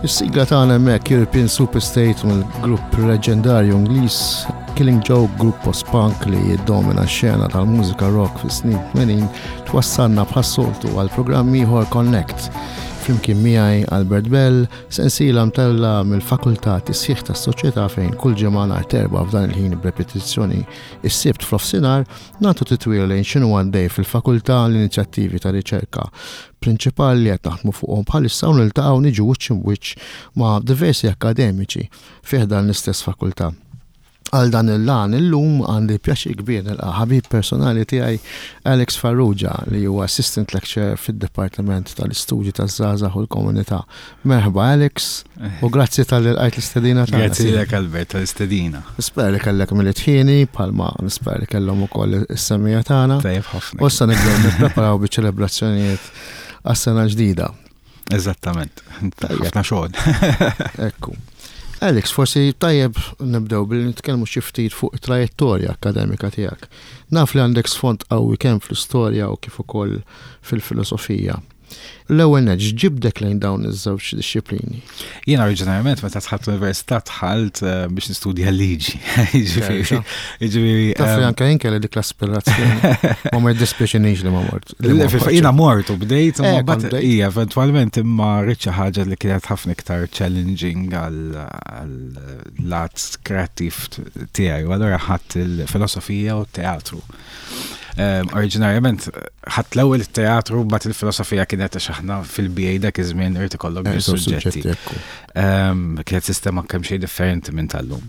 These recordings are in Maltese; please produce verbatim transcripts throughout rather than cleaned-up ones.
Is-sigla tagħna hemmhekk European Superstate mill-grupp leġendarju Ingliż Killing Joke, grupp post-punk li jiddomina x-xena tal-mużika rock fis-snin tmenin, twassalna bħas-soltu għal programm ieħor Connect. Flimkien miegħi Albert Bell, sensiela mtella mill-Fakultà Tisħiħ tas-Soċjetà fejn kull ġimgħa nhar terba' f'dan il-ħin b'repetizzjoni is-Sibt f'nofsinhar nagħtu titwila lejn x'inhu għaddej fil-fakultà, l-inizjattivi ta' riċerka prinċipali li qed naħdmu fuqhom bħalissa u niltaqgħu niġu wiċċ imwiċċ ma' diversi akademiċi fih dan l-istess fakultà. Għal dan il-lan illum għandi pjaċir kbir nilqa' ħabib personali tiegħi Alex Farrugia li huwa assistant lecturer fid-Dipartiment tal-Istudji taż-Żgħażagħ u l-Komunità. Merħba Alex u grazzi talli lqajt l-istedina tagħna. Grazzi lilek Albert tal-istedina. Nispera li kellek Milied ħieni bħalma nispera li kellhom ukoll is-semmiegħa tagħna. Tajjeb ħafna. U issa nibdew nippreparaw biċ-ċelebrazzjonijiet għas-sena ġdida. Eżattament. Ħafna xogħol. Ekku. Alex, forsi tajjeb nibdew billi nitkellmu xi ftit fuq it-trajettorja akademika tiegħek. Naf li għandek sfond qawwi kemm fl-istorja u kif ukoll fil-filosofija. L-ewwel nett, x'ġibdek lejn dawn iż-żewġ dixxiplini? Jiena oriġinarjament meta dħalt l-università dħalt eh, biex nistudja l-liġi. Jiġifieri, jiġifieri, Taf li ehm, anke jien kelli dik l-aspirazzjoni. Ma ma jiddispjaċinix li ma mort. li ma Le, Jiena mort u bdejt, Eh, imma kont mbagħad bdejt. hija eventwalment imma ridt xi ħaġa li kienet ħafna iktar challenging għal lat kreattiv tiegħi u allura ħadt il-filosofija u t-teatru. Ehm, Oriġinarjament ħadt l-ewwel it-teatru mbagħad il-filosofija kienet għax aħna fil-B A dak iż-żmien irid ikollok Eh, żewġ suġġetti. suġġetti, ekku. Ehm, Kienet sistema kemm xejn differenti minn tal-lum.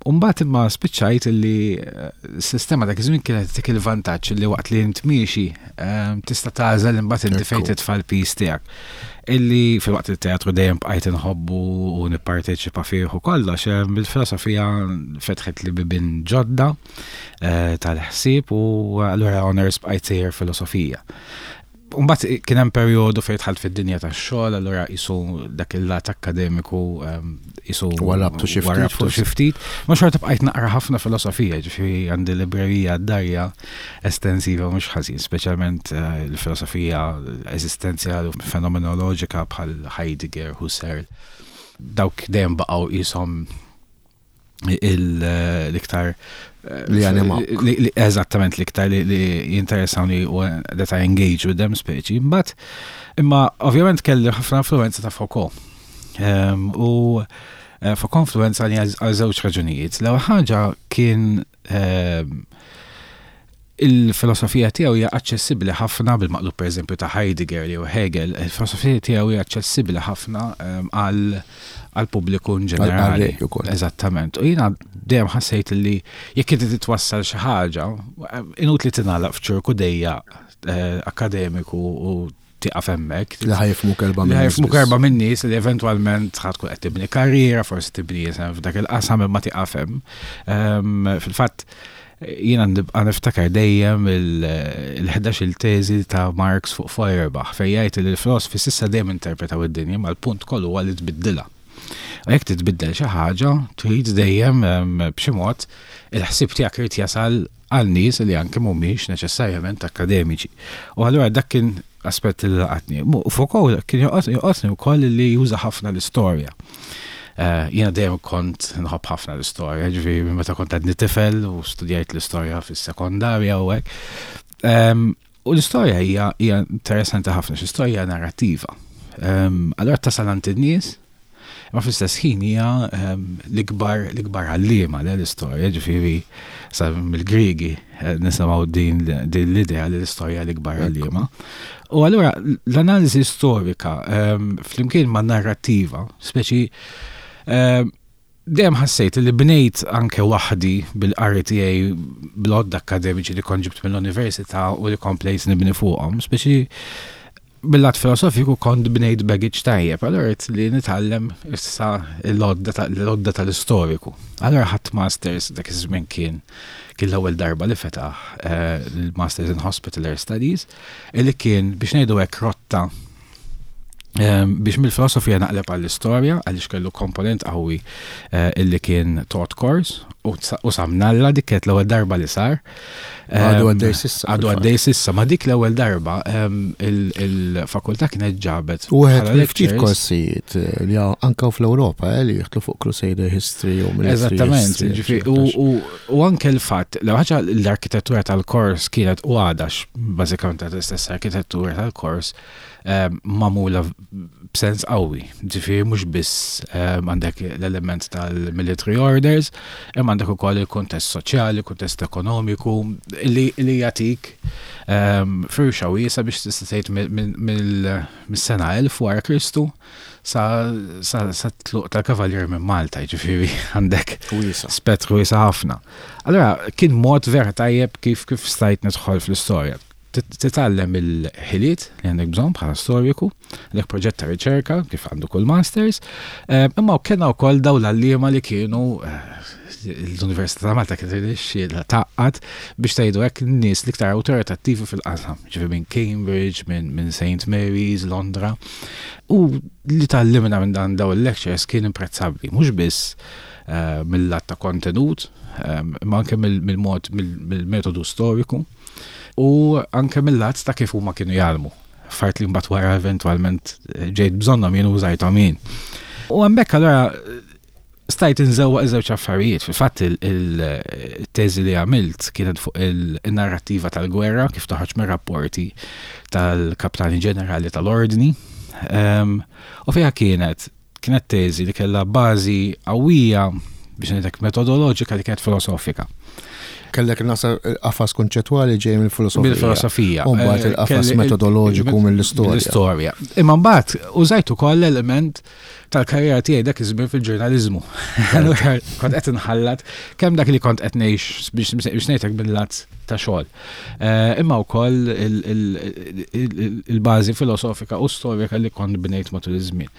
Umbagħad imma spiċċajt li eh, s-sistema dak iż-żmien kienet tik il-vantaġġ li waqt li int miexi ehm, tista' tagħżel imbagħad inti fejn Ekku. titfa' l-piż tiegħek. Illi fil-waqt il-teatru dejjem bqajt inħobbu u nipparteċipa fih u kollox, ehm, il-filosofija fetħet li bibien ġodda eh, tal-ħsieb u allura honors bqajt sejjer filosofija. Umbagħad kien hemm perjodu fejn dħalt fid-dinja tax-xogħol, allura qisu dak il-lat akkademiku ehm, qisu Warrabtu xi ftit warrabtu forsi. xi ftit. Ma xorta bqajt naqra ħafna filosofija, ġifieri għandi librerija d-darja estensiva mhux ħażin, speċjalment eh, il-filosofija eżistenzjali u fenomenoloġika bħal Heidegger, Husserl. Dawk dejjem baqgħu qishom l-iktar eh, Li animawk. li- li- Eżattament l-iktar li, li jinteressawni u that I engage with them speċi. Imbagħad imma ovvjament kelli ħafna influenza ta' Foucault. Um, u eh, Foucault influenza li għal għal żewġ raġunijiet. L-ewwel ħaġa kien um, il-filosofija tiegħu hija aċċessibbli ħafna bil-maqlub pereżempju ta' Heidegger jew Hegel, il-filosofija tiegħu hija aċċessibbli ħafna um, għal għal pubbliku in ġenerali. Għal-qarrej ukoll. Eżattament. U jiena dejjem ħassejt li jekk inti titwassal xi ħaġa, inutli tingħalaq f'ċirku dejjaq eh, akademiku u tieqaf hemmhekk. Li ħa jifhmuk erba' Li minn ħa jifhmuk erba' minn nies li eventwalment ħa tkun qed tibni karriera, forsi tibni isem f'dak il-qasam imma tieqaf hemm. Ehm, Fil-fatt jiena nibqa' niftakar dejjem il-ħdax il teżi ta' Marx fuq Feuerbach fejn jgħid li l-filosofi s'issa dejjem interpretaw id-dinja ma l-punt kollu huwa li tbiddilha. U jekk titbiddel xi ħaġa, trid dejjem ehm, b'xi mod il-ħsieb tiegħek irid jasal għal nies li anke mhumiex neċessarjament akademiċi. U allura dak kien aspett li laqatni. Mu- Foucault kien jolqotni wkoll li juża ħafna l-istorja. Eh, Jiena dejjem kont nħobb ħafna l-istorja, ġifieri meta kont għadni tifel u studjajt l-istorja fis-sekondarja u hekk. Ehm, U l-istorja hija hija interessanti ħafna, x'istorja narrativa. Ehm, Allura tasal għand in-nies, imma fl-istess ħin hija ehm, l-ikbar l-ikbar għalliema le l-istorja, ġifieri sa mill-Griegi eh, nisimgħu din din l-idea li l-istorja l-ikbar għalliema. U allura l-analiżi storika ehm, flimkien ma' narrativa, speċi ehm, dejjem ħassejt li bnejt anke waħdi bil-qari tiegħi bl-għodda akademiċi li kont ġibt mill-università u li komplejt nibni fuqhom, speċi Bil-lat filosofiku kont bnejt baggage tajjeb, allura rrid li nitgħallem issa l-għodda tal-istoriku. Allura ħadt masters, dak iż-żmien kien kien l-ewwel darba li fetaħ eh, il-Masters in Hospitaller Studies, illi kien, biex ngħidu hekk, rotta biex mill-filosofija naqleb għall-istorja, għaliex kellu komponent qawwi eh, illi kien taught course, u samnalla dik kienet l-ewwel darba li sar. Għadu għaddej s'issa. Għadu għaddej s'issa, ma dik l-ewwel darba il-fakultà kienet ġabet. U għed ftit korsijiet eh, li anka fl-Ewropa eh, li jidħlu fuq Crusader History u Eżattament, u anke l-fatt, l ħaġa, l-arkitettura tal-kors kienet u għadax, bażikament l-istess arkitettura tal-kors magħmula b'sens qawwi. Ġifieri mhux biss għandek l-element tal-military orders, imma għandek ukoll il-kuntest soċjali, kuntest ekonomiku, li jagħtik firxa wiesa biex tista' tgħid mis-sena elf wara Kristu sa tluq tal-kavallier minn Malta, ġifieri għandek spettru wiesa ħafna. Allora, kien mod vera tajjeb kif kif stajt nidħol fl-istorja. Titgħallem il-ħiliet li għandek bżonn bħala storiku, għandek proġett ta' riċerka kif għandu kull masters, imma kellna wkoll dawn l-għalliema li kienu l-Università ta' Malta kienet irnexxielha tgħaqqad, biex tgħidu hekk, n-nies l-iktar awtoritattivi fil-qasam, ġifieri minn Cambridge, minn Saint Mary's, Londra. U li tgħallimna minn dan daw il-lectures kien imprezzabbli, mhux biss mill-lat ta' kontenut, ma anke mill-mod, mill-metodu storiku, u anke mill-lat ta' kif huma kienu jgħallmu. Fart li mbagħad wara eventwalment ġejt bżonnhom jien, użajthom jien. U hemmhekk allura stajt inżewwaq iż-żewġ affarijiet. Fil-fatt il-teżi li għamilt kienet fuq il-narrattiva tal-gwerra kif toħroġ mir-rapporti tal-Kaptani Ġenerali tal-Ordni. U fiha kienet kienet teżi li kellha bażi qawwija, biex ngħidlek, metodoloġika li kienet filosofika. Kellek nasa qafas konċettwali ġej mill-filosofija. Mill-filosofija. U mbagħad il-qafas metodoloġiku mill-istorja. Mill-istorja. Imma mbagħad użajt ukoll l-element tal-karriera tiegħi dak iż-żmien fil-ġurnaliżmu. Allura kont qed inħallat kemm dak li kont qed ngħix, biex ngħidlek, bil-lat ta' xogħol. Imma wkoll il-bażi filosofika u storika li kont bnejt matul iż-żmien.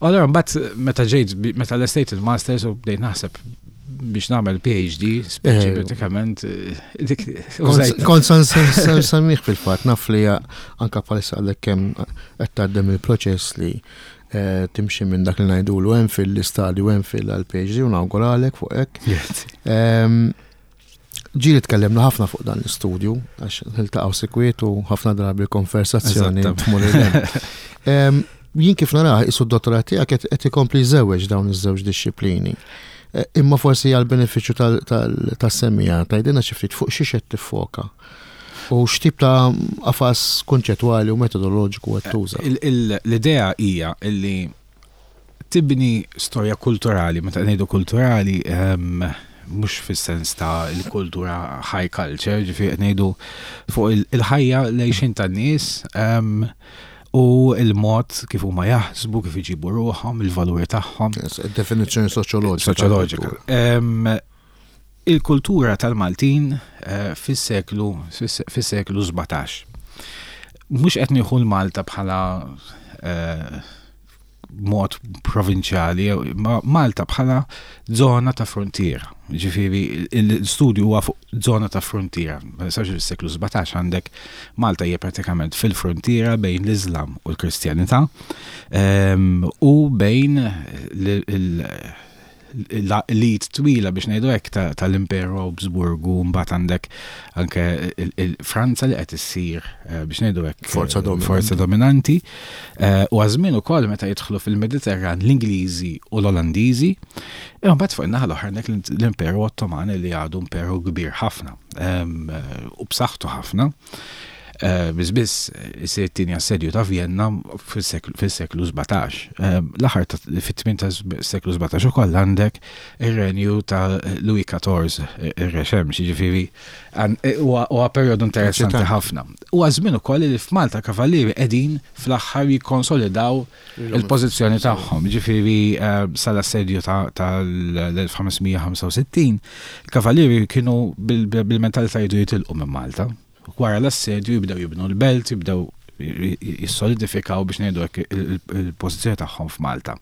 Allura mbagħad meta ġejt, meta lestejt il-masters u bdejt naħseb biex nagħmel P H D, speċi pratikament dik Kont semmih fil-fatt, naf li anka bħalissa għalek kemm qed tgħaddem il-proċess li timxi minn dak li ngħidulu M Phil, l-istadju M Phil għal P H D, u nawguralek fuq hekk. Ġieli tkellimna ħafna fuq dan l-istudju, għax niltaqgħu sikwiet u ħafna drabi konversazzjoni tmur. Jien kif naraħ isu d-dottorat tiegħek qed ikompli jżewweġ dawn iż-żewġ dixxiplini. Imma forsi għal benefiċċju tas-semmiegħa tgħidilna xi ftit fuq xi qed tiffoka. U x'tip ta' qafas konċettwali u metodoloġiku qed tuża. L-idea hija illi tibni storja kulturali, meta ngħidu kulturali, mhux fis-sens ta' il-kultura high culture, ġifieri ngħidu fuq il-ħajja l-għixien tan-nies u il-mod kif huma jaħsbu, kif iġibu ruħhom, il-valuri tagħhom. Definizzjoni soċjoloġika. Soċjoloġika. Il-kultura tal-Maltin fis-seklu fis-seklu sbatax. Mhux qed nieħu l-Malta bħala mod provinċjali, ma Malta bħala zona ta' frontiera. Ġifieri l-studju huwa fuq zona ta' frontiera. Ma nistax, fis-seklu sbatax għandek Malta hija pratikament fil-frontiera bejn l-Islam u l-Kristjanità u bejn l-id twila, biex ngħidu hekk, tal-Imperu Habsburgu, mbagħad għandek anke il-Franza li qed issir, biex ngħidu hekk, forza dominanti. Forza dominanti. U għażmin ukoll meta jidħlu fil-Mediterran l-Ingliżi u l-Olandiżi, imma mbagħad fuq in-naħa l-oħra għandek l-Imperu Ottoman li għadu imperu kbir ħafna u b'saħħtu ħafna. Biss biss isir it-tieni assedju ta' Vienna fis-seklu sbatax. L-aħħar fit-tmien ta' seklu sbatax ukoll għandek ir-renju ta' Louis quatorze, ir-Re Xemx, jiġifieri huwa perjodu interessanti ħafna. Huwa żmien ukoll li f'Malta kavallieri qegħdin fl-aħħar jikkonsolidaw il-pożizzjoni tagħhom. Jiġifieri sal-assedju tal-elf ħames mija ħamsa u sittin, il-kavallieri kienu bil-mentalità jridu jitilqu minn Malta. Wara l-assedju jibdew jibnu l-belt, jibdew Jissolidifikaw, biex ngħidu hekk, il-pożizzjoni tagħhom f'Malta.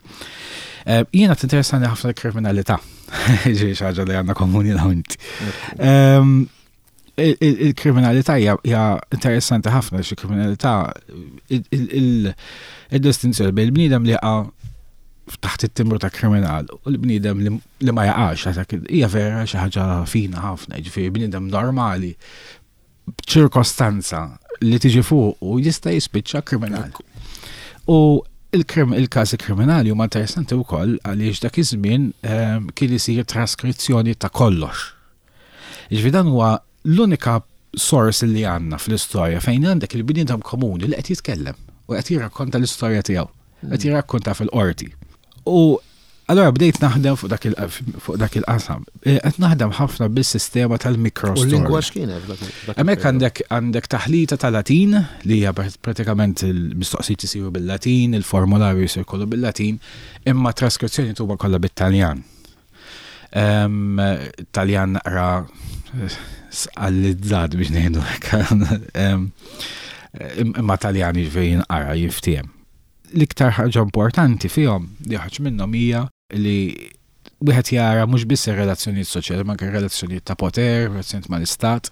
Eh, jiena tinteressani ħafna l-kriminalità, ġi ħaġa li għandna komuni inti. Il-kriminalità hija interessanti ħafna, xi kriminalità, il-distinzjoni bejn il-bniedem li jaqa' taħt it-timbru ta' kriminal u l-bniedem li ma jaqax, hija vera xi ħaġa fina ħafna, jiġifieri bniedem normali b'ċirkostanza li tiġi fuq u jista' jispiċċa kriminal. U il-każi kriminali huma interessanti wkoll għaliex dak iż-żmien ehm, kien isir traskrizzjoni ta' kollox. Jiġifieri dan huwa l-unika sors li għandna fl-istorja fejn għandek il-bniedem komuni li qed jitkellem u qed jirrakkonta l-istorja tiegħu, qed jirrakkonta fil-qorti. U allora bdejt naħdem fuq dak il-qasam. E, qed naħdem ħafna bis-sistema tal-microstory. U l-lingwa x'kienet? Hemmhekk għandek għandek taħlita tal-Latin li hija pratikament il-mistoqsijiet isiru bil-Latin, il-formularju jsir kollu bil-Latin, imma traskrizzjoni tuba kollha bit-Taljan. Taljan naqra sqallizzat, biex ngħidu hekk. Imma Taljan, jiġifieri jinqara, jiftiehem. L-iktar ħaġa importanti fihom li ħaġ minnhom hija li wieħed jara mhux biss ir-relazzjonijiet soċjali, ma anke relazzjonijiet ta' poter, relazzjonijiet mal-istat.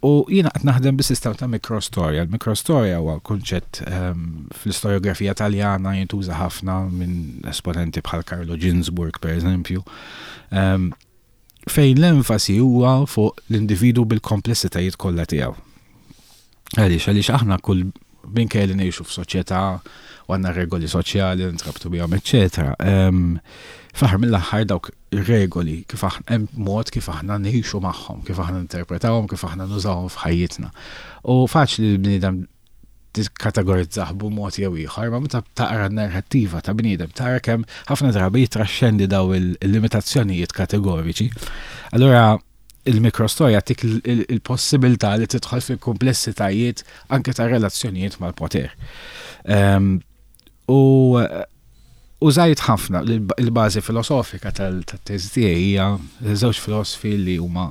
U jiena qed naħdem bis-sistema ta' mikrostorja. Il-mikrostorja huwa kunċett fl-istoriografija Taljana, jintuża ħafna minn esponenti bħal Carlo Ginzburg, per eżempju, fejn l-enfasi huwa fuq l-individu bil-komplessitajiet kollha tiegħu. Għaliex, għaliex aħna kull minkejja li ngħixu f'soċjetà u għandna regoli soċjali nintrabtu bihom, eċċetera. Fl-aħħar mill-aħħar dawk regoli kif aħna hemm mod kif aħna ngħixu magħhom, kif aħna ninterpretawhom, kif aħna nużawhom f'ħajjitna. U faċli li l-bniedem tikkategorizzah b'mod jew ieħor, ma meta taqra n-narrattiva ta' bniedem tara kemm ħafna drabi jitraxxendi daw il-limitazzjonijiet kategoriċi. Allura il-mikrostorja tik il-possibilità li tidħol fil-komplessitajiet anke ta' relazzjonijiet mal-poter. U użajt ħafna il-bażi filosofika tal-teżi tiegħi hija żewġ filosofi li huma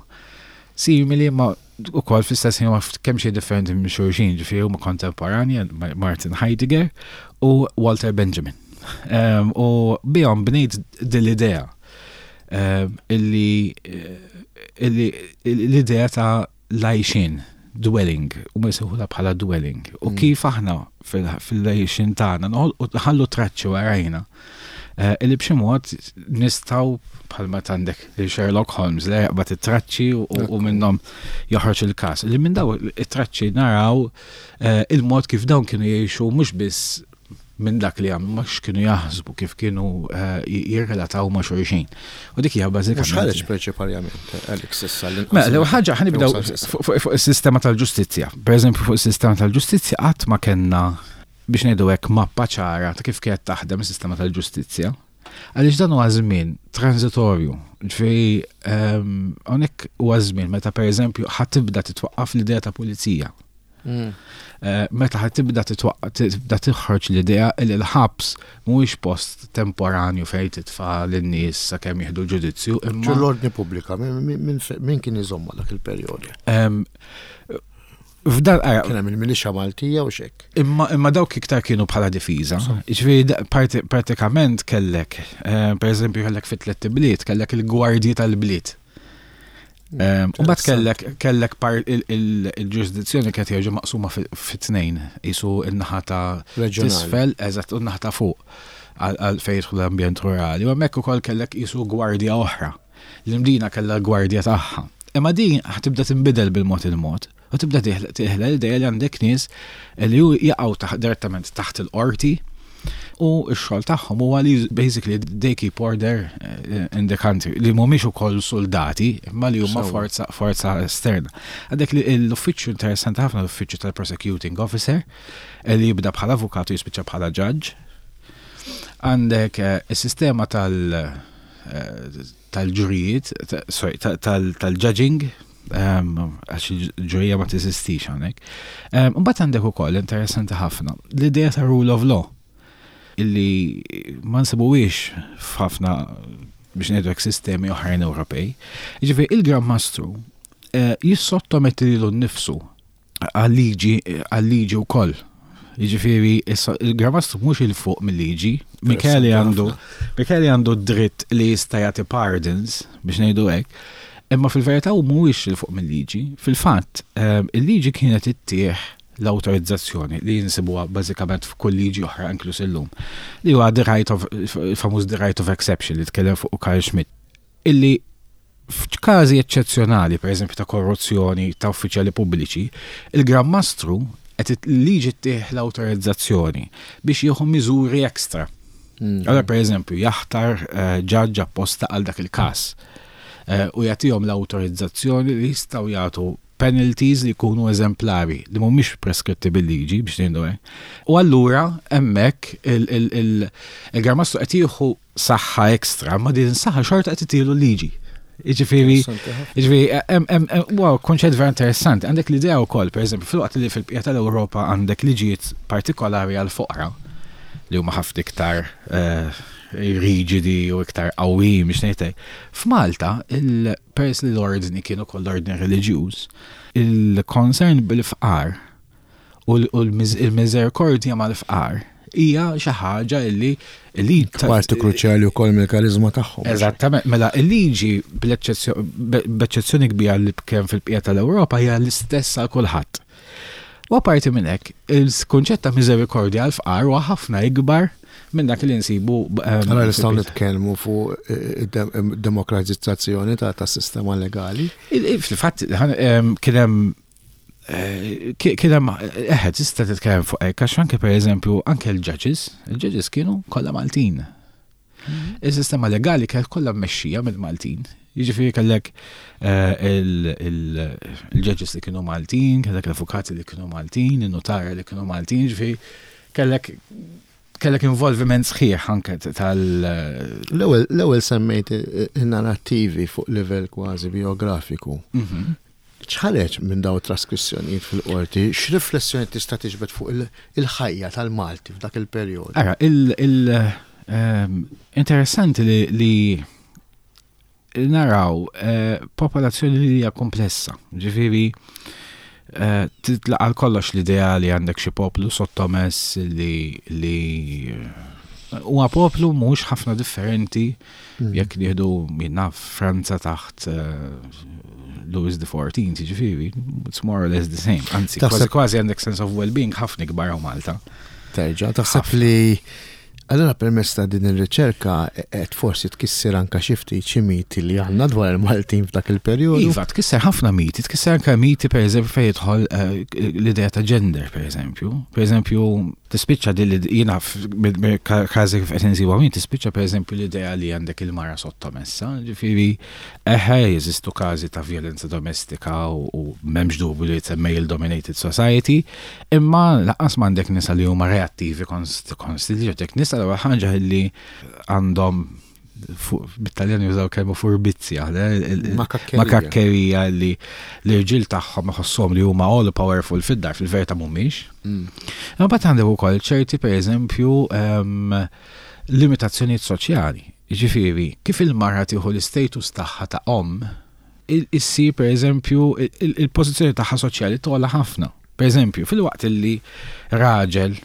simili ma ukoll fl-istess ħin huma kemm xejn differenti minn xulxin, ġifieri huma kontemporani, Martin Heidegger u Walter Benjamin. U bihom bnejt din l-idea illi l-idea ta' l-għajxien, dwelling, u ma jsejħulha bħala dwelling. U mm. kif aħna fil-għajxien tagħna nħallu traċċi warajna. Eh, illi b'xi mod nistgħu, bħalma għandek Sherlock Holmes li jaqbad it-traċċi u minnhom joħroġ il-każ. Li minn daw it-traċċi naraw eh, il-mod kif dawn kienu jgħixu, mhux biss minn dak li għamlu, ma kienu jaħsbu, kif kienu eh, jirrelataw ma' xulxin. U dik hija bażikament. Mhux ħareġ prinċipalment, Alex, issa? Mela, l ħaġa ħa nibdew fuq is-sistema tal-ġustizzja. Per eżempju, fuq is-sistema tal-ġustizzja qatt ma kellna, biex ngħidu hekk, mappa ċara ta' kif kienet taħdem is-sistema tal-ġustizzja. Għaliex dan huwa żmien transitorju. Ġifieri ehm, hawnhekk huwa żmien meta, pereżempju, ħa tibda titwaqqaf l-idea ta' pulizija. Mm. Eh, meta ħa tibda tibda toħroġ l-idea li l-ħabs mhuwiex post temporanju fejn titfa' lin-nies sakemm jieħdu l-ġudizzju. Imma l-ordni pubblika min kien iżomma dak il-perjodu? F'dan Kien hemm il-militia Maltija u xek. Imma imma dawk iktar kienu bħala difiża. Ġifieri pratikament kellek, eh, per eżempju, kellek fit tliet bliet, kellek il-gwardji tal-bliet. U bat kellek kellek il-ġurisdizzjoni kienet jerġa' maqsuma fit-tnejn, jisu in-naħa ta' tisfel, eżatt, u n-naħa ta' fuq għal fejn jidħol l-ambjent rurali. U hemmhekk ukoll kellek jisu gwardja oħra. L-Imdina kellha l-gwardja tagħha. Imma din tibda tinbidel bil-mod il-mod. U tibda teħla l-idea li għandek nies li jaqgħu direttament taħt il-qorti u x-xogħol tagħhom huwa li basically they keep order eh, in the country, li mhumiex ukoll soldati imma li huma forza forza esterna. Għandek l-uffiċċju interessanti ħafna, l-uffiċċju tal-prosecuting officer, li jibda bħala avukatu, jispiċċa bħala judge. Għandek eh, is-sistema tal- eh, tal-ġurijiet, sorry, tal-judging, għax il-ġurija ma teżistix hawnhekk. Mbagħad għandek ukoll, interessanti ħafna, l-idea ta' rule of law illi ma nsibuwiex f'ħafna, biex ngħidu, sistemi oħrajn Ewropej. Ġifieri il-Gran Mastru eh, jissottometti lilu nnifsu għal-liġi għal-liġi wkoll. Jiġifieri il-Gran Mastru mhux 'il fuq mill-liġi, Michele għandu Michele għandu dritt li jista' jagħti pardons, biex ngħidu hekk, imma fil-verità hu mhuwiex 'il fuq mill-liġi. Fil-fatt, ehm, il-liġi kienet ittih l-autorizzazzjoni li jinsibuha bażikament f'kull liġi oħra, inkluż illum. Li huwa the right of, famuż the right of exception li tkellem fuq Carl Schmitt. Illi f'każi eċċezzjonali, per eżempju ta' korruzzjoni ta' uffiċjali pubbliċi, il-Gran Mastru qed il-liġi ttih l-autorizzazzjoni biex jieħu miżuri ekstra. Mm. Allora, per eżempju, jaħtar eh, ġaġġ apposta għal dak il-każ eh, u jagħtihom l-autorizzazzjoni li jistgħu jagħtu penalties li jkunu eżemplari, li mhumiex preskritti bil-liġi, biex ngħidu hekk. U allura hemmhekk il-Gran Mastru qed jieħu saħħa ekstra, ma din saħħa xorta qed itilu l-liġi. Jiġifieri, Interessanti ħafna. Jiġifieri, em, em, em, wow, konċett vera interessanti. Għandek l-idea wkoll, per eżempju, fil-waqt li fil-bqija tal-Ewropa għandek liġijiet partikolari għal-foqra li huma ħafna iktar eh, riġidi u iktar qawwijin, biex ngħidlek. F'Malta, il-peress li l-ordni kienu koll ordni reliġjuż, il-concern bil-fqar u l- u l-miżerikordja mal-fqar hija xi ħaġa illi li Parti kruċjali wkoll mill-karizma tagħhom. Eżattament, mela il-liġi bl-eċċezzjoni kbira li kemm fil-bqija tal-Ewropa hija l-istess għal kulħadd. U apparti minn hekk, il-kunċett ta' miżerikordja għal fqar huwa ħafna ikbar minn dak li nsibu ehm, Allora nistgħu fil- nitkellmu fuq eh, dem- demokratizzazzjoni ta' ta' sistema legali. Il- il- Fil-fatt, ħan- em, kien hemm eh, ki- kien hemm eħe, tista' titkellem fuq hekk, għax anke, pereżempju, anke l-judges, il-judges kienu kollha Maltin. Il-sistema legali kienet kollha mmexxija mill-Maltin. Jiġifieri kellek eh, il- il- il-judges li kienu Maltin, kellek l-avukati li kienu Maltin, il-notara li kienu Maltin, jiġifieri kellek kellek involviment sħiħ anke tal L-ewwel l-ewwel semmejt in-narrattivi fuq livell kważi biografiku. Mhm. X'ħareġ minn daw traskrizzjonijiet fil-qorti, x'riflessjoni tista' tiġbed fuq il- il-ħajja tal-Malti f'dak il-perjodu? Ara, il, il ehm, interessanti li, li naraw eh, popolazzjoni li hija komplessa. Ġifieri eh, titlaq għal kollox l-idea li għandek xi poplu sottomess li li eh, huwa poplu mhux ħafna differenti Mm. jekk nieħdu minna Franza taħt eh, Louis the Fourteenth, ġifieri, it's more or less the same. Anzi, kważi Taħseb- kważi għandek sense of well-being ħafna ikbar hawn Malta. Terġa', taħseb li allura permezz ta' din ir-riċerka qed forsi tkisser anka xi ftit xi miti li għandna dwar il-Maltin f'dak il-perjodu? Iva, tkisser ħafna miti, tkisser anke miti, per eżempju, fejn jidħol eh, l-idea ta' gender, per eżempju. Per eżempju, tispiċċa din li jiena każi kif qed insibu min tispiċċa, per eżempju, l-idea li għandek il-mara sottomessa, ġifieri eħe, jeżistu każi ta' violenza domestika u, u m'hemmx dubju li it's a male dominated society, imma lanqas m'għandek nisa li huma reattivi konst konstantly, għandek nisa l ħaġa li għandhom, bit-Taljan jużaw kelma furbizja, Makakkerija. Makakkerija, li l-irġiel tagħhom iħossuhom li huma all powerful fid-dar, fil-verità mhumiex. Mm. Imma mbagħad għandek ukoll ċerti, pereżempju, ehm, limitazzjonijiet soċjali. Jiġifieri, kif il-mara tieħu l-istatus tagħha ta' om, il- issir, pereżempju, il- il-pożizzjoni tagħha soċjali togħla ħafna. Pereżempju, fil-waqt li raġel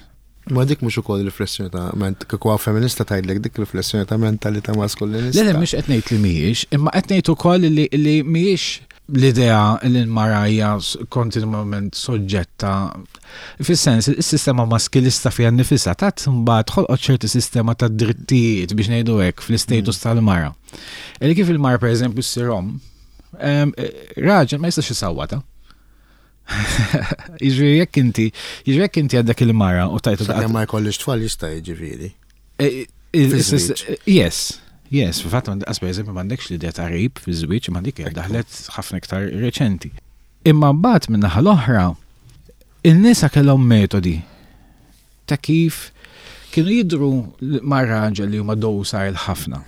Ma dik mhux ukoll riflessjoni ta' ment kieku hawn feminista tgħidlek dik riflessjoni ta' mentalità maskulinista. Le, le, mhux qed ngħid li mhijiex, imma qed ngħid ukoll li li mhijiex l-idea li l-mara hija s- kontinwament soġġetta, fis-sens is-sistema maskilista fiha nnifisha tat mbagħad ħolqot ċerti sistema ta' drittijiet, biex ngħidu hekk, fl-istatus tal-mara. Li kif il-mara, pereżempju, ssir om, em, eh, raġel ma jistax isawwata. Jiġifieri jekk inti, jiġifieri jekk inti għandek il-mara u tajtu Sakemm ma jkollix tfal jista', jiġifieri. Eh, il- Fi-żwieġ. Yes, yes, fil-fatt għas per eżempju m'għandekx l-idea ta' rape fi żwieġ, ma dik daħlet ħafna iktar reċenti. Imma mbagħad minn naħa l-oħra, in-nisa kellhom metodi ta' kif kienu jidru ma' raġel li huma docile ħafna.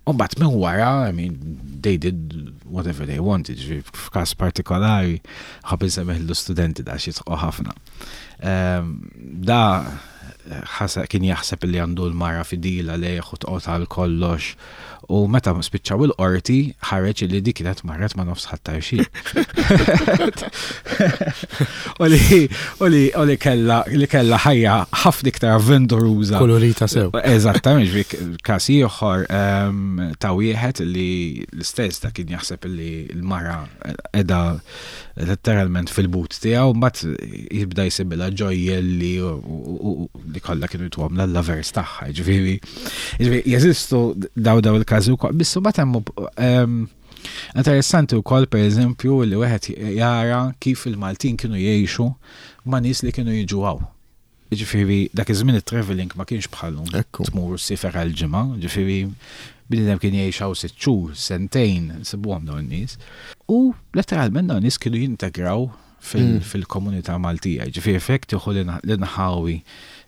U mbagħad minn wara, I mean, they did whatever they wanted, ġifieri f'każ partikolari, ħab insemmiħ l-studenti da xi ħafna. Ehm, Da ħasa kien jaħseb li għandu l-mara fidila lejh u toqgħod għal kollox. U meta spiċċaw il-qorti ħareġ li dik kienet marret ma' nofs Ħ'Attard. U li u li u li kella li kella ħajja ħafna iktar avventuruża. Kolorita sew. Eżattament, ġifieri każ ieħor ehm, ta' wieħed li l-istess ta' kien jaħseb li l-mara qiegħda letteralment fil-but tiegħu, mbagħad jibda jsibilha ġojjelli u- u u- li kollha kienu jtuhom l-lovers tagħha, ġifieri. Ġifieri jeżistu daw daw il-każi wkoll, biss mbagħad hemm ehm, interessanti wkoll pereżempju li wieħed jara kif il-Maltin kienu jgħixu ma' nies li kienu jiġu hawn. Ġifieri dak iż-żmien it-travelling ma kienx bħalhom Ekku. tmur ssiefer għal ġimgħa, ġifieri bniedem kien jgħix hawn sitt xhur, sentejn, nsibuhom dawn in-nies. U letteralment dawn in-nies kienu jintegraw fil- Mm. fil-komunità Maltija. Ġifieri fek tieħu l-inħawi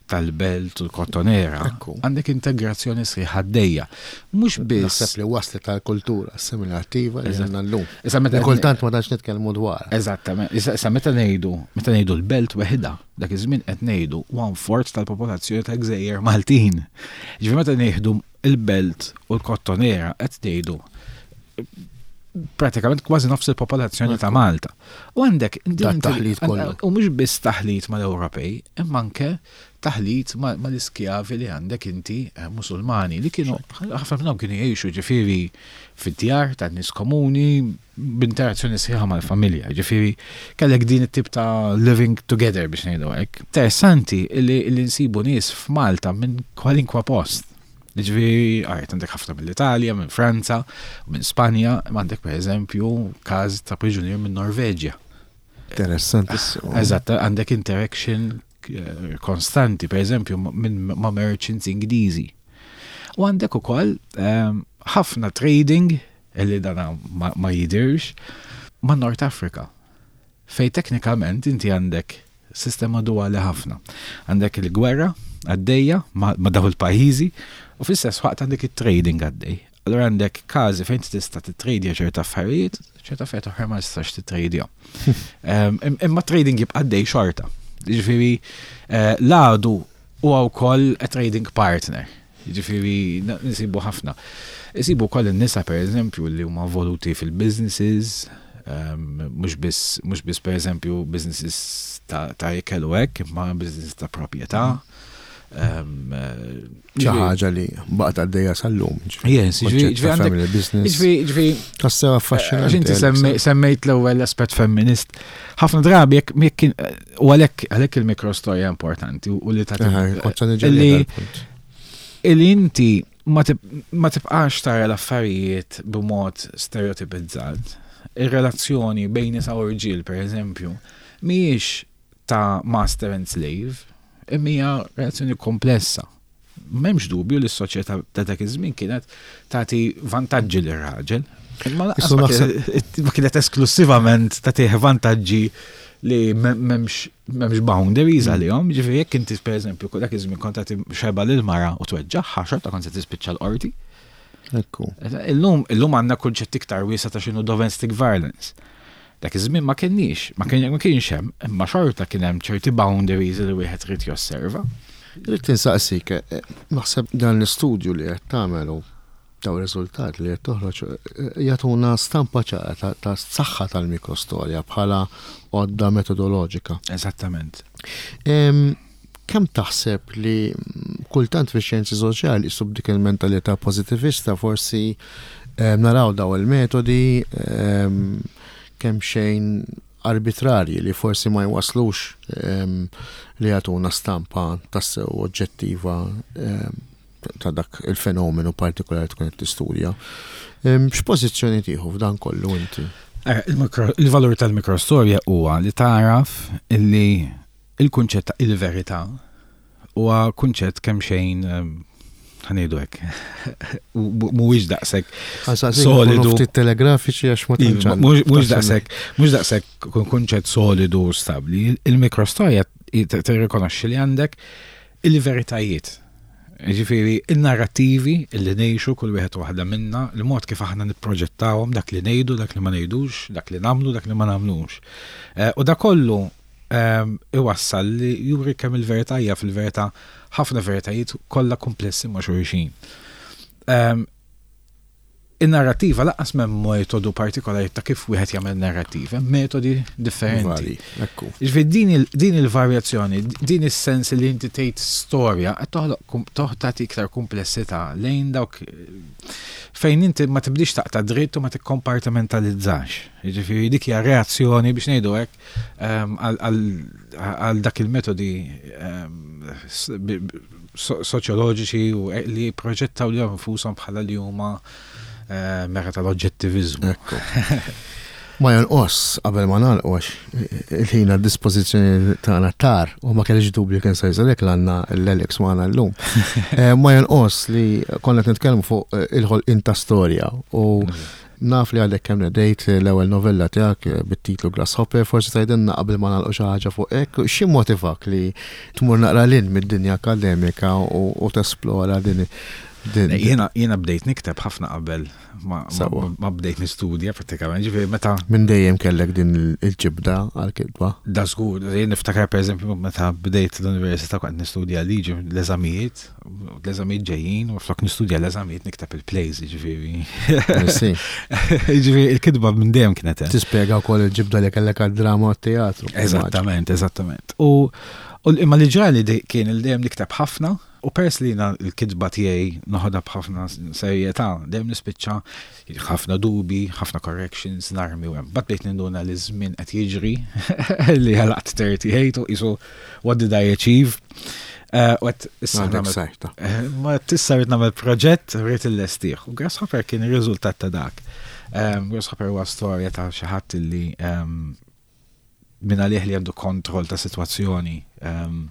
tal-Belt u l-Kottonera, Ekku. għandek integrazzjoni sħiħa għaddejja. Mhux biss. Naħseb li waslet tal-kultura assimilattiva li Eżatt. għandna llum. Issa meta Li kultant ma tantx nitkellmu dwar. Eżattament. Issa issa meta ngħidu, meta ngħidu l-Belt weħida, dak iż-żmien qed ngħidu one fourth tal-popolazzjoni ta' gżejjer Maltin. Ġifieri meta ngħidu il-Belt u l-Kottonera qed ngħidu pratikament kważi nofs il-popolazzjoni ta' Malta. U għandek Dat taħlit kollu. U mhux biss taħlit mal-Ewropej, imma anke taħlit ma- mal-iskjavi li għandek inti eh, musulmani li kienu ħafna minnhom kienu jgħixu ġifieri fid-djar tan-nies komuni b'interazzjoni sħiħa mal-familja. Ġifieri kellek din it-tip ta' living together biex ngħidu hekk. Interessanti li, li nsibu nies f'Malta minn kwalinkwa post. Ġifieri, għajt, għandek ħafna mill-Italja, minn Franza, minn Spanja, ma għandek per eżempju każ ta' priġunier minn Norveġja. Interessantissimo. Eżatt, għandek interaction eh, konstanti, per eżempju, minn ma' merchants Ingliżi. U għandek ukoll ehm, ħafna trading, illi dana ma, ma jidirx, ma' North Africa. Fej teknikament inti għandek sistema duali ħafna. Għandek il-gwerra għaddejja ma, ma daw il-pajjiżi u fl-istess waqt għandek il-trading għaddej. Allora għandek każi fejn tista' titradja ċerta affarijiet, ċerta affarijiet oħra ma tistax titradja. Em, im- Imma trading jibqa' għaddej xorta. Ġifieri eh, l-għadu huwa wkoll a trading partner. Ġifieri na- nsibu ħafna. Nsibu wkoll in-nisa pereżempju li huma involuti fil-businesses, um, mhux biss mhux biss pereżempju businesses ta' ta' ikel u hekk, imma businesses ta' proprjetà. Um, eh, Xi ħaġa li baqgħet għaddejja sal-lum. Yes, ġifieri- ġifieri għandek- family business. Ġifieri, ġifieri, Tassew Għax affaxxinanti. inti Alex. semmi- semmejt l-ewwel aspett femminist. Ħafna drabi jekk jekk kien u għalhekk għalhekk il-mikrostorja importanti u li Eħe, tagħti kont se niġi illi- dal-punt. illi inti ma tib- ma tibqax tara l-affarijiet b'mod stereotipizzat. Ir-relazzjoni bejn nisa u rġiel, per eżempju, mhijiex ta' master and slave, imma hija relazzjoni komplessa. M'hemmx dubju li s-soċjetà ta' dak iż-żmien kienet tagħti vantaġġi lir-raġel. Imma lanqas Issu ma naħseb- kienet- ma kienet esklusivament tagħtih vantaġġi li m'hemmx m'hemmx boundaries għalihom, ġifieri jekk inti pereżempju dak iż-żmien kont tagħti xebgħa lil mara u tweġġagħha xorta kont se tispiċċa l-qorti. Ekku. Illum illum għandna kunċett iktar wiesa ta' x'inhu domestic violence. Dak iż-żmien ma kienx, ma kien ma kienx hemm, imma xorta kien hemm ċerti boundaries li wieħed irid josserva. Irrid insaqsik, eh, naħseb dan l-istudju li qed tagħmel u daw riżultat li qed toħroġ eh, jagħtuna stampa ċara ta' ta' saħħa tal-mikrostorja bħala għodda metodoloġika. Eżattament. Em, Kemm taħseb li mm, kultant fi xjenzi soċjali sub dik il-mentalità pozitivista forsi em, naraw daw il-metodi em, kemm xejn arbitrarji li forsi ma jwaslux em, li jagħtuna stampa tassew oġġettiva em, ta' dak il-fenomenu partikolari tkun qed tistudja. Em, X'pożizzjoni tieħu f'dan kollu inti? Eh, il-mikro- Il-valur tal-mikrostorja huwa li taraf illi il-kunċett ta' il-verità huwa kunċett kemm xejn em, ħa ngħidu hekk. Mhuwiex daqshekk Solidu. Ftit telegrafiċi għax ma tantx Iva, għandna. Mhux mhux daqshekk, mhux daqshekk kun kunċett solidu u stabbli. Il-mikrostorja tirrikonoxxi li għandek il-veritajiet. Ġifieri, il-narrativi li ngħixu kull wieħed u waħda minna, il-mod kif aħna nipproġettawhom, dak li ngħidu, dak li ma ngħidux, dak li nagħmlu, dak li ma nagħmlux. Eh, U da kollu ehm, iwassal li juri kemm il-verità hija fil-verità Ħafna veritajiet kollha komplessi ma' xulxin. Um, In-narrativa lanqas m'hemm metodu partikolari ta' kif wieħed jagħmel narrativa, hemm metodi differenti. Vari, ekku. Ġifieri din il- din il-varjazzjoni, din is-sens li inti tgħid storja qed toħloq kum- toħ tagħti iktar komplessità lejn dawk fejn inti ma tibdix taqta' dritt u ma tikkompartimentalizzax. Jiġifieri dik hija reazzjoni, biex ngħidu hekk, ehm, għal- għal għal dak il-metodi ehm, s- bi- bi- so- soċjoloġiċi u e- li proġettaw li nfushom bħala li huma eh, mera tal-oġġettivizmu. Ekku. Ma jonqos qabel ma nagħlqu, għax il-ħin għad dispożizzjoni tagħna tar u ma kellix dubju kien se jżalek l-għandna l-Alex magħna llum. Eh, Ma jonqos li konna qed nitkellmu fuq eh, il-ħolqien ta' storja u naf li għadek kemm nedejt l-ewwel novella tiegħek eh, bit-titlu Grasshopper, forsi tgħidilna qabel ma nagħlqu xi ħaġa fuq hekk, xi motivak li tmur naqra lil mid-dinja akademika u u tesplora din din Jiena jiena bdejt nikteb ħafna qabel ma, ma, Sewwa. ma bdejt nistudja prattikament, ġifieri meta Minn dejjem kellek din il-ġibda għal-kitba? Da żgur, jien niftakar, per eżempju, meta bdejt l-università kont nistudja liġi, l-eżamijiet, l-eżamijiet ġejjin, u flok nistudja l-eżamijiet nikteb il-plays, ġifieri. Sì. Ġifieri il-kitba minn dejjem kienet hemm. Tispjega wkoll il-ġibda li kellek għad-drama u t-teatru. Eżattament, eżattament. U u imma li ġrali di- kien il dejjem nikteb ħafna u pers li jiena l-kitba tiegħi noħodha b'ħafna serjetà, dejjem nispiċċa ħafna dubi, ħafna corrections, narmi u hemm. But bdejt ninduna li żmien qed jiġri, li għalaqt tlieta u tletin u qisu, what did I achieve? Eh, U għedt issa Għandek nagħmel sajta. Eh, Ma tissa rrid nagħmel proġett, rrid illestih. U Grasshopper kien ir-riżultat ta' dak. Um, Grasshopper huwa storja ta' xi ħadd li um, minn għalih li għandu kontroll ta' sitwazzjoni um,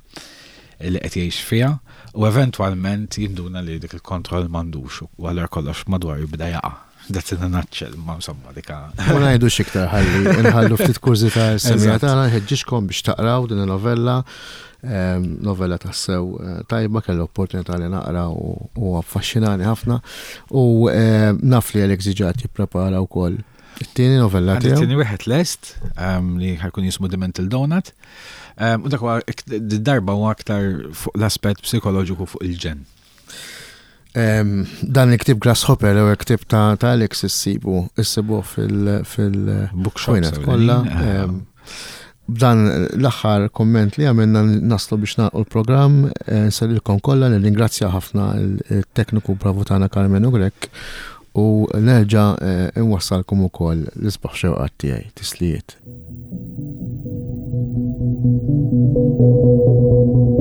li qed jgħix fiha u eventwalment jinduna li dik il-kontroll m'għandux u allura kollox madwar jibda jaqa'. That's in a nutshell, ma insomma dika. Ma ngħidu xiktar, ħalli nħallu ftit kurżità s-semmiegħa Eżatt. tagħna, nħeġġiġkom biex taqraw din il-novella. Em, Novella tassew eh, tajba, kelli opportunità li naqra u u affaxxinani ħafna. U em, naf li Alex diġà jipprepara wkoll it-tieni novella Għandi tiegħu. tieni wieħed lest um, li ħa jkun jismu The Mental Donut. Um, u dak huwa darba huwa aktar fuq l-aspett psikoloġiku fuq il-ġen. Em, Dan il-ktib Grasshopper, l-ewwel ktib ta' ta' Alex, issibu issibu fil- fil- Bookshops ħwienet kollha. ewlenin. Em, B'dan l-aħħar komment li għamilna naslu biex nagħlqu l-programm, eh, nsellilkom kollha, nirringrazzja ħafna il-tekniku bravu tagħna Carmen Grek u nerġa' eh, nwassalkom ukoll l-isbaħ xewqat tiegħi, tislijiet. Thank